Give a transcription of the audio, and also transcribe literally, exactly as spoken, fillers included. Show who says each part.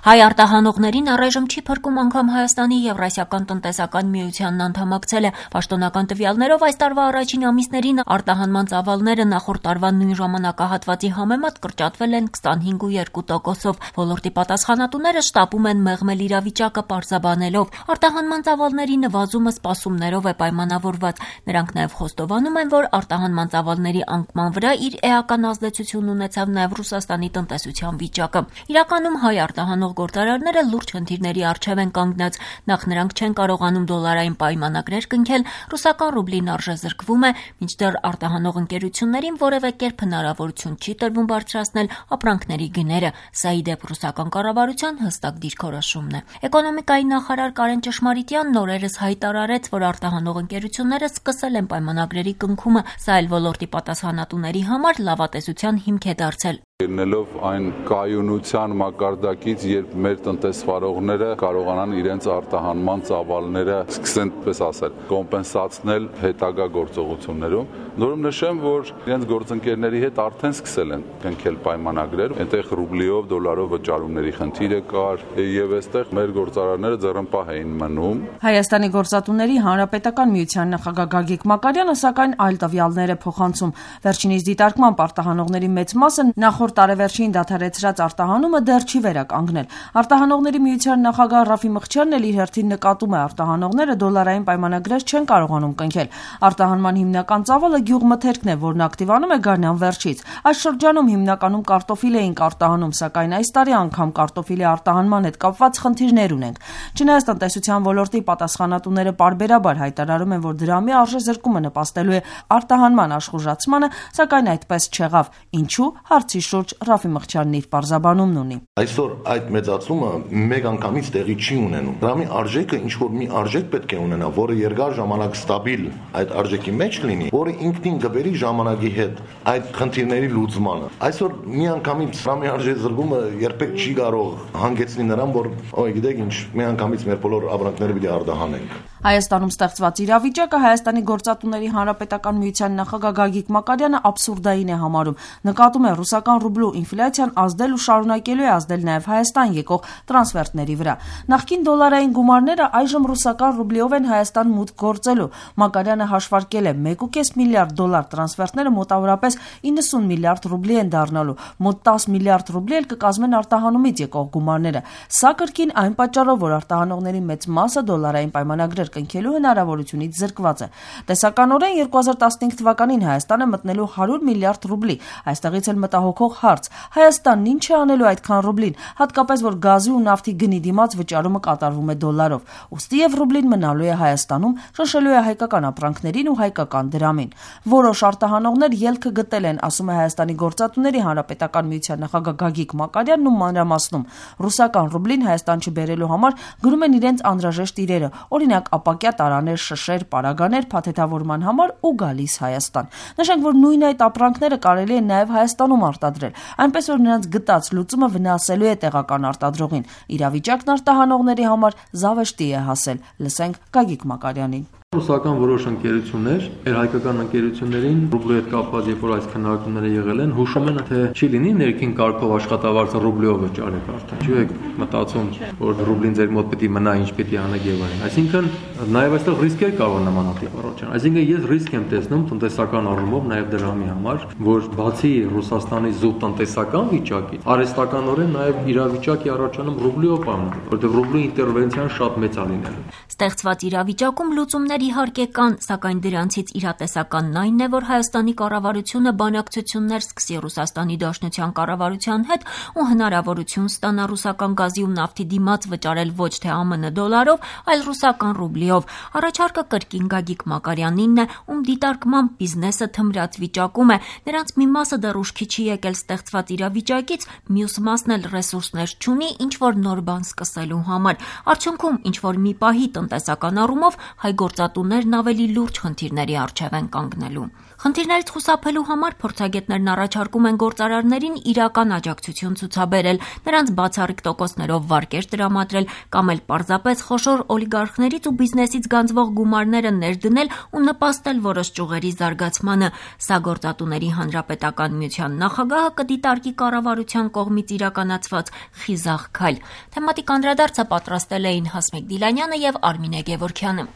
Speaker 1: Հայ արտահանողներին առայժմ չի փրկում անգամ Հայաստանի Եվրասիական տնտեսական միությանն անդամակցելը։ Պաշտոնական տվյալներով այս տարվա առաջին ամիսներին արտահանման ծավալները նախորդ տարվա նույն ժամանակահատվածի համեմատ կրճատվել են քսանհինգ ու երկու տոկոսով։ Ոլորտի պատասխանատուները շտապում են մեղմել իրավիճակը պարզաբանելով։ Արտահանման ծավալների նվազումը սպասումներով է պայմանավորված։ Նրանք նաև խոստովանում են, որ արտահանման ծավալների անկման վրա իր էական ազդեցություն ունեցավ նաև Ռուսաստանի տնտեսության վիճակը։ Իրականում հայ արտահանող գործարարները լուրջ խնդիրների առջև են կանգնած։ Նախ նրանք չեն կարողանում դոլարային պայմանագրեր կնքել, ռուսական ռուբլին արժեզրկվում է, մինչդեռ արտահանող ընկերություններին որևէ կերպ հնարավորություն չի տրվում բարձրացնել ապրանքների գները։ Սա ի դեպ ռուսական կառավարության հստակ դիրքորոշումն է։ Էկոնոմիկայի նախարար Կարեն Ճշմարիտյանն օրերս հայտարարեց, որ արտահանող ընկերությունները սկսել են պայմանագրերի կնքումը, սա էլ ոլորտի պատասխանատուների համար լավատեսության հիմք է դարձել։
Speaker 2: Ելնելով այն կայունության մակարդակից, երբ մեր տնտեսվարողները կարողանան իրենց արտահանման ծավալները սկսեն, պես ասել, կոմպենսացնել հետագա գործողություններում, նորում նշեմ, որ իրենց գործընկերների հետ արդեն սկսել են կնքել պայմանագրեր, այնտեղ ռուբլիով, դոլարով վճարումների խնդիրը կար, եւ այստեղ մեր գործարարները ձեռնպահ էին մնում։
Speaker 3: Հայաստանի գործատուների հանրապետական միության նախագահ Գագիկ Մակարյանը սակայն այլ տվյալներ է փոխանցում։ Վերջինիս դիտարկմամբ արտահանողների մեծ մասը նախորդ տարեվերջին դադարեցրած արտահանումը դեռ չի վերականգնել։ Արտահանողների միության նախագահ Ռաֆի Մղչյանն էլ իր հերթին նկատում է, արտահանողները դոլարային պայմանագրեր չեն կարողանում կնքել։ Արտահանման հիմնական ծավալը գյուղմթերքն է, որն ակտիվանում է գարնան վերջից։ Այս շրջանում հիմնականում կարտոֆիլ էինք արտահանում, սակայն այս տարի անգամ կարտոֆիլի արտահանման հետ կապված խնդիրներ ունենք։ Չնայած տնտեսության ոլորտի պատասխանատուները պարբերաբար հայտարարում են, որ դրամի արժեզրկումը նպաստելու է արտահանման աշխուժացմանը, սակայն այդպես չեղավ։ Ինչու՞, հարցի շուրջ Ռաֆի Մղչյանն իր պարզաբանումն ունի։
Speaker 4: Այսօր այդ մեծացումը մեկ անգամից տեղի չի ունենում։ Դրամի արժեքը ինչ որ մի արժեք պետք է ունենա, որը երկար ժամանակ ստաբիլ այդ արժեքի մեջ լինի, որը ինքնին կբերի ժամանակի հետ այդ խնդիրների լուծմանը։ Այսօր մի անգամից դրամի արժեզրկումը երբեք չի կարող հանգեցնել նրան, որ օ, գիտեք ինչ, մի անգամից մեր բոլոր ապրանքները պիտի արտահանենք։
Speaker 3: Հայաստանում ստեղծված իրավիճակը Հայաստանի գործատուների հանրապետական միության նախագահ Գագիկ Մակարյանը աբսուրդային է համարում։ Նկատում է ռուսական ռուբլու ինֆլյացիան ազդել ու շարունակելու է ազդել նաև Հայաստան եկող տրանսֆերտների վրա։ Նախկին դոլարային գումարները այժմ ռուսական ռուբլիով են Հայաստան մուտք գործելու։ Մակարյանը հաշվարկել է մեկ ու կես միլիարդ դոլար տրանսֆերտները մոտավորապես իննսուն միլիարդ ռուբլի են դառնալու։ Մոտ տասը միլիարդ ռուբլի էլ կկազմեն արտահանումից եկող գումարները։ Սա կրկին այն պատճառով, որ արտահանողների մեծ մասը դոլարային պայմանագրեր կնքելու հնարավորությունից զրկված է։ Տեսականորեն երկու հազար տասնհինգ թվականին Հայաստանը մտնելու հարյուր միլիարդ ռուբլի։ Այստեղից էլ մտահոգող հարց. Հայաստանն ինչ է անելու այդքան ռուբլին, հատկապես որ գազի ու նավթի գնի դիմաց վճարումը կատարվում է դոլարով։ Ուստի եւ ռուբլին մնալու է Հայաստանում, շնշելու է հայկական ապրանքներին ու հայկական դրամին։ Որոշ արտահանողներ ելքը գտել են, ասում է Հայաստանի գործատուների հանրապետական միության նախագահ Գագիկ Մակարյանն ու մանրամասնում։ Ռուսական ռուբլին Հայաստան չբերելու համար գրում են իրենց անհրաժեշտ իրերը, օրինակ ապակյա տարաներ, շշեր, պարագաներ փաթեթավորման համար ու գալիս Հայաստան։ Նշենք, որ նույն այդ ապրանքները կարելի է նաև Հայաստանում արտադրել, այնպես որ նրանց գտած լուծումը վնասելու է տեղական արտադրողին։ Իրավիճակն արտահանողների համար զավեշտի է հասել։ Լսենք Գագիկ Մակարյանին։
Speaker 5: Ռուսական որոշ ընկերություններ, մեր հայկական ընկերություններին ռուբլի հետ կապված, երբ որ այս քննարկումները եղել են, հուշում են, թե չի լինի ներքին կարգով աշխատավարձը ռուբլիով վճարեք արդեն։ Չի եք մտածում, որ ռուբլին ձեր մոտ պետք է մնա, ինչ պետք է անեք եւ այլն։ Այսինքն նաեւ այստեղ ռիսկեր կարող նմանատիպ առաջան։ Այսինքն ես ռիսկ եմ տեսնում տնտեսական առումով նաեւ դրամի համար, որ բացի Ռուսաստանի զուտ տնտեսական վիճակից, արհեստականորեն նաեւ իրավիճակի առաջանում ռուբլիով պայմանավորված, որտեղ ռուբլի ինտերվենցիան շատ մեծ է լինելու։
Speaker 1: Ստեղծված իրավիճակում լուծումներ իհարկե կան, սակայն դրանցից իրատեսականն այնն է, որ Հայաստանի կառավարությունը բանակցություններ սկսի Ռուսաստանի Դաշնության կառավարության հետ ու հնարավորություն ստանա ռուսական գազի ու նավթի դիմաց վճարել ոչ թե ԱՄՆ դոլարով, այլ ռուսական ռուբլիով։ Առաջարկը կրկին Գագիկ Մակարյանինն է, ում դիտարկմամբ բիզնեսը թմրած վիճակում է, նրանց մի մասը դեռ ուշքի չի եկել ստեղծված իրավիճակից, մյուս մասն էլ ռեսուրսներ չունի ինչ որ նոր բան սկսելու համար։ Արդյունքում ինչ որ մի պահի տնտեսական առումով հայ գործատուներն ավելի լուրջ խնդիրների առջև են կանգնելու։ Խնդիրներից խուսափելու համար փորձագետներն առաջարկում են գործարարներին իրական աջակցություն ցուցաբերել, նրանց բացառիկ տոկոսներով վարկեր տրամադրել կամ էլ պարզապես խոշոր օլիգարխներից ու բիզնեսից գանձվող գումարները ներդնել ու նպաստել որոշ ճյուղերի զարգացմանը։ Սա Գործատուների հանրապետական միության նախագահը կդիտարկի կառավարության կողմից իրականացված խիզախ քայլ։ Թեմատիկ անդրադարձը պատրաստել էին Հասմիկ Դիլանյանը եւ Արմինե Գևորգյանը։